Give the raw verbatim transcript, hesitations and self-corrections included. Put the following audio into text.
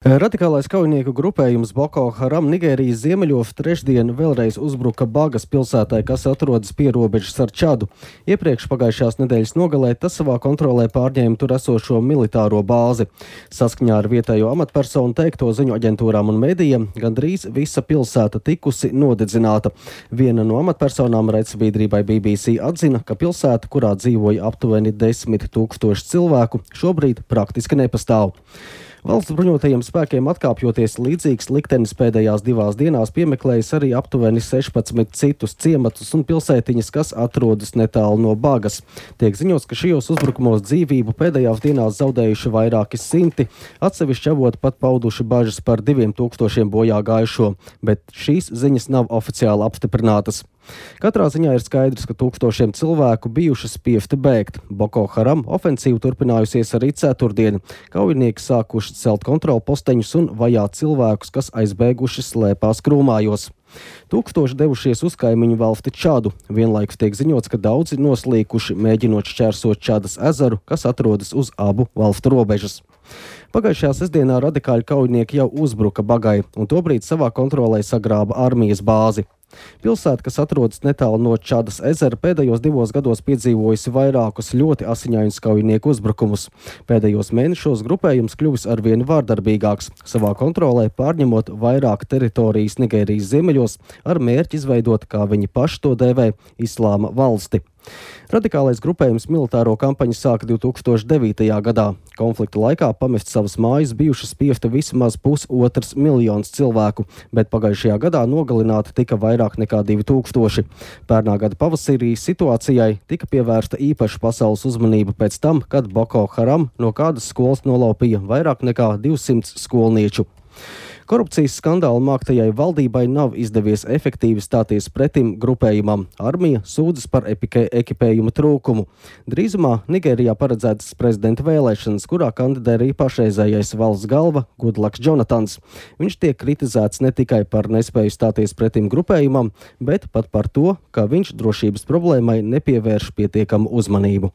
Radikālais kaujinieku grupējums Boko Haram Nigērijas ziemeļos trešdien vēlreiz uzbruka Bagas pilsētai, kas atrodas pierobežas ar Čadu. Iepriekš pagājušās nedēļas nogalē tas savā kontrolē pārņēma tur esošo militāro bāzi. Saskaņā ar vietējo amatpersonu teikto ziņu aģentūrām un medijiem, gandrīz visa pilsēta tikusi nodedzināta. Viena no amatpersonām raidsabiedrībai B B C atzina, ka pilsēta, kurā dzīvoja aptuveni desmit tūkstoši cilvēku, šobrīd praktiski nepastāv. Valsts bruņotajiem spēkiem atkāpjoties, līdzīgs liktenis pēdējās divās dienās piemeklējis arī aptuveni sešpadsmit citus ciematus un pilsētiņas, kas atrodas netālu no Bagas. Tiek ziņots, ka šajos uzbrukumos dzīvību pēdējās dienās zaudējuši vairāki simti, atsevišķi avoti pat pauduši bažas par diviem tūkstošiem bojā gājušo, bet šīs ziņas nav oficiāli apstiprinātas. Katrā ziņā ir skaidrs, ka tūkstošiem cilvēku bijuši spiesti bēgt. Boko Haram ofensīva turpinājusies arī ceturtdien. Kaujinieki sākuši celt kontrolu posteņus un vajāt cilvēkus, kas aizbēguši slēpās krūmājos. Tūkstoši devušies uz kaimiņu valsti Čadu. Vienlaikus tiek ziņots, ka daudzi noslīkuši, mēģinot šķērsot Čadas ezeru, kas atrodas uz abu valstu robežas. Pagājušajā sestdienā radikāļu kaujinieki jau uzbruka Bagai un tobrīd savā kontrolē sagrāba armijas bāzi. Pilsēta, kas atrodas netālu no Čadas ezera, pēdējos divos gados piedzīvojusi vairākus ļoti asiņainus kaujinieku uzbrukumus. Pēdējos mēnešos grupējums kļuvis arvien vārdarbīgāks, savā kontrolē pārņemot vairāk teritorijas Nigērijas ziemeļos ar mērķi izveidot, kā viņi paši to dēvē, islāma valsti. Radikālais grupējums militāro kampaņu sāka divi tūkstoši devītajā gadā. Konflikta laikā pamest savas mājas bijuši spiesti vismaz pusotrs miljons cilvēku, bet pagājušajā gadā nogalināti tika vairāk nekā divi tūkstoši. Pērnā gada pavasarī situācijai tika pievērsta īpaša pasaules uzmanība pēc tam, kad Boko Haram no kādas skolas nolaupīja vairāk nekā divsimt skolnieču. Korupcijas skandāla māktajai valdībai nav izdevies efektīvi stāties pretim grupējumam. Armija sūdzas par ekipējuma trūkumu. Drīzumā Nigērijā paredzētas prezidenta vēlēšanas, kurā kandidē arī pašreizējais valsts galva Goodlucks Jonatans. Viņš tiek kritizēts ne tikai par nespēju stāties pretim grupējumam, bet pat par to, ka viņš drošības problēmai nepievērš pietiekamu uzmanību.